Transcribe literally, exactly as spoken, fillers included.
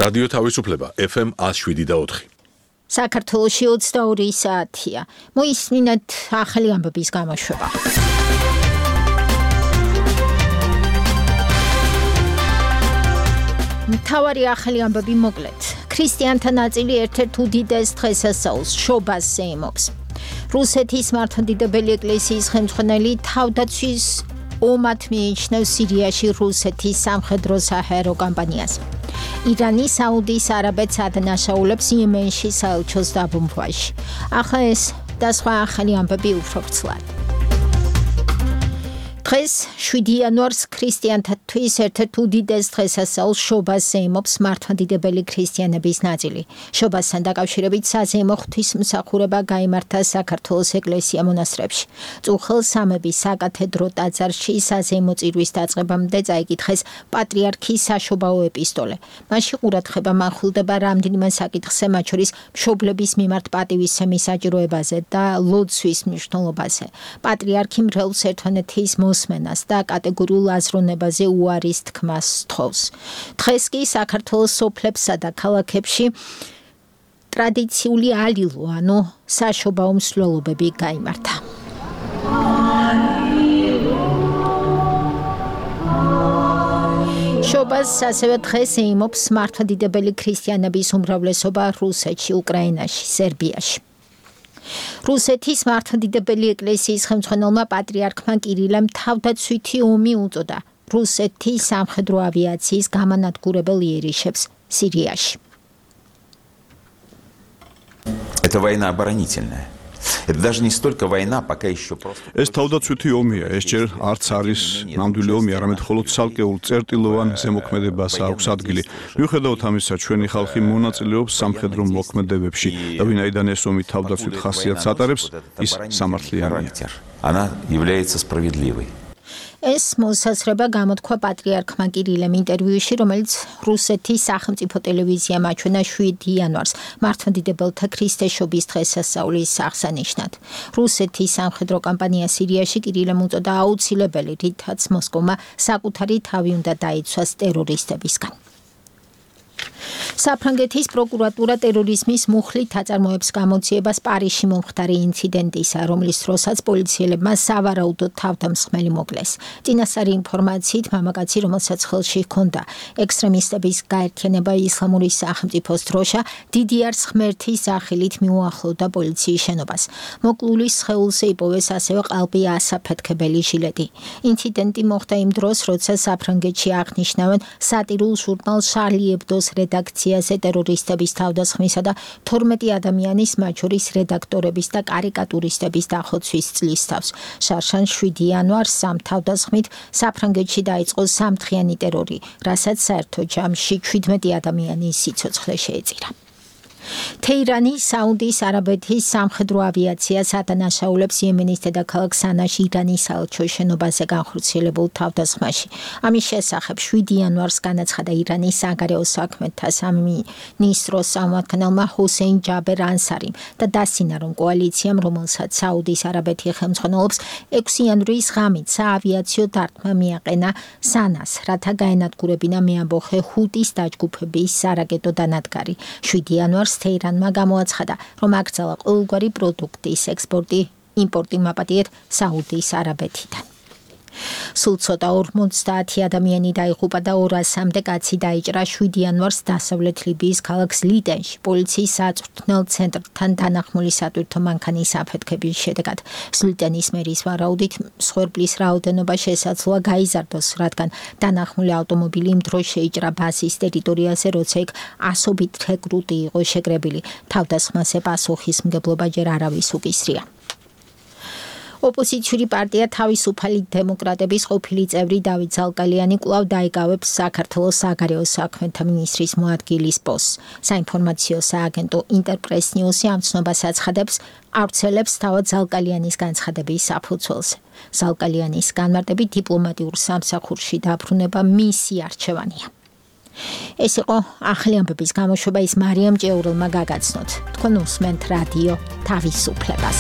რადიო თავისუფლება ეფ ემ one oh seven და four. საქართველოში ოცდაორი საათია. მოისმინეთ ახალი ამბების გამოშვება. მთავარი ახალი ამბები მოკლედ. ქრისტიანთა ნაწილი ერთ-ერთ უდიდეს დღესასწაულს შობას ეიმობს. რუსეთის მართლმადიდებელი ეკლესიის ხელმძღვანელი თავდაცვის ომად მიიჩნევს სირიაში რუსეთის სამხედრო საჰაერო კამპანიას. ირანი საუდის არაბეთს ადანაშაულებს იემენში საელჩოს დაბომბვაში. ახლა ეს და სხვა ახალი ამბები უფრო ვრცლად. დღეს შვიდი იანვარს ქრისტიანთათვის ერთ-ერთ უდიდეს დღესასწაულს შობას ეიმობს მართლმადიდებელი ქრისტიანების ნაწილი. შობასთან დაკავშირებით საზეიმო ღვთისმსახურება გაიმართა საქართველოს ეკლესია მონასტრებში. წუხელ-სამების საკათედრო ტაძარში საზეიმო წირვის დაწყებამდე წაიკითხეს პატრიარქის საშობაო ეპისტოლე. მასში ყურადღება მახვილდება რამდენიმე საკითხზე, მათ შორის მშობლების მიმართ პატივისცემის საჭიროებაზე და ლოცვის მნიშვნელობაზე. პატრიარქი მრევლს ერთმანეთის მოსმენას და კატეგორიულ აზროვნებაზე უარის თქმას სთხოვს. დღეს კი საქართველოს სოფლებსა და ქალაქებში ტრადიციული ალილო, ანუ საშობაო მსვლელობები გაიმართა. შობას ასევე დღეს ეიმობს მართლმადიდებელი ქრისტიანების უმრავლესობა რუსეთში, უკრაინაში, სერბიაში. რუსეთის მართლმადიდებელი ეკლესიის ხელმძღვანელმა პატრიარქმა კირილემ თავდაცვითი ომი უწოდა რუსეთის სამხედრო ავიაციის გამანადგურებელ იერიშებს სირიაში. Это война оборонительная. Это даже не столько война, пока еще просто. ეს თავდაცვითი ომია, ეს ჯერ არც არის ნამდვილი ომი, არამედ მხოლოდ ცალკეულ წერტილოვან ზემოქმედებას აქვს ადგილი. მიუხედავად ამისა, ჩვენი ხალხი მონაწილეობს სამხედრო მოქმედებებში და ვინაიდან ეს ომი თავდაცვით ხასიათს ატარებს, ის სამართლიანია. Она является справедливой. ეს მოსაზრება გამოთქვა პატრიარქმა კირილემ ინტერვიუში, რომელიც რუსეთის სახელმწიფო ტელევიზიამ აჩვენა შვიდი იანვარს, მართლმადიდებელთა ქრისტესშობის დღესასწაულის აღსანიშნად. რუსეთის სამხედრო კამპანია სირიაში კირილემ უწოდა აუცილებელი, რითაც მოსკოვმა საკუთარი თავი უნდა დაიცვას ტერორისტებისგან. საფრანგეთის პროკურატურა ტერორიზმის მუხლით აწარმოებს გამოძიებას პარიზში მომხდარი ინციდენტისა, რომლის დროსაც პოლიციელებმა სავარაუდოდ თავდამსხმელი მოკლეს. წინასწარი ინფორმაციით მამაკაცი, რომელსაც ხელში ჰქონდა ექსტრემისტების გაერთიანება ისლამური სახელმწიფოს დროშა, დიდიარ ღმერთის სახელით მიუახლოვდა პოლიციის შენობას. მოკლულის სხეულზე იპოვეს ასევე ყალბი ასაფეთქებელი ჟილეტი. ინციდენტი მოხდა იმ დროს, როცა საფრანგეთში აღნიშნავენ სატირულ ჟურნალ შარლი ებდოს რედაქციაზე ტერორისტების თავდასხმისა და თორმეტი ადამიანის, მათ შორის რედაქტორების და კარიკატურისტების დახოცვის წლის თავს. შარშან შვიდი იანვარს სამ თავდასხმით საფრანგეთში დაიწყო სამდღიანი ტერორი, რასაც საერთო ჯამში ჩვიდმეტი ადამიანის სიცოცხლე შეეწირა. თეირანი საუდის არაბეთის სამხედრო ავიაციას ადანაშაულებს იემენის დედაქალაქ სანაში ირანის საელჩოს შენობაზე განხორციელებულ თავდასხმაში. ამის შესახებ შვიდი იანვარს განაცხადა ირანის საგარეო საქმეთა სამინისტროს წარმომადგენელმა ჰუსეინ ჯაბერ ანსარიმ და დასცინა, რომ კოალიციამ, რომელსაც საუდის არაბეთი ხელმძღვანელობს, ექვსი იანვრის ღამით საავიაციო დარტყმა მიაყენა სანას, რათა გაენადგურებინა მეამბოხე ჰუტის დაჯგუფების სარაკეტო დანადგარი. შვიდი იანვარს თეირანმა გამოაცხადა, რომ აკრძალა ყოველგვარი პროდუქტის ექსპორტი, იმპორტი მაპატიეთ საუდის არაბეთიდან. სულ ცოტა ორმოცდაათი ადამიანი დაიღუპა და ორასამდე კაცი დაიჭრა შვიდი იანვარს დასავლეთ ლიბიის ქალაქ ლიდენში პოლიციის საწვრთნელ ცენტრთან დანახმული სატვირთო მანქანის აფეთქების შედეგად. ლიდენის მერის ვარაუდით მსხვერპლის რაოდენობა შესაძლოა გაიზარდოს, რადგან დანახმული ავტომობილი იმ დროს შეიჭრა ბაზის ტერიტორიაზე, როცა იქ ასობით რეკრუტი იყო შეკრებილი. თავდასხმაზე პასუხისმგებლობა ჯერ არავის უკისრია. ოპოზიციური პარტია თავისუფალი დემოკრატების ყოფილი წევრი დავით ზალკალიანი კვლავ დაიკავებს საქართველოს საგარეო საქმეთა მინისტრის მოადგილის პოსტს. საინფორმაციო სააგენტო ინტერპრეს ნიუსი ამ ცნობას აცხადებს, ავრცელებს თავად ზალკალიანის განცხადების საფუძველზე. ზალკალიანის განმარტებით დიპლომატიურ სამსახურში დაბრუნება მისი არჩევანია. ეს იყო ახალი ამბების გამოშვება, ის მარიამ ჭეურელმა გაგაცნოთ. თქვენ უსმენთ რადიო თავისუფლებას.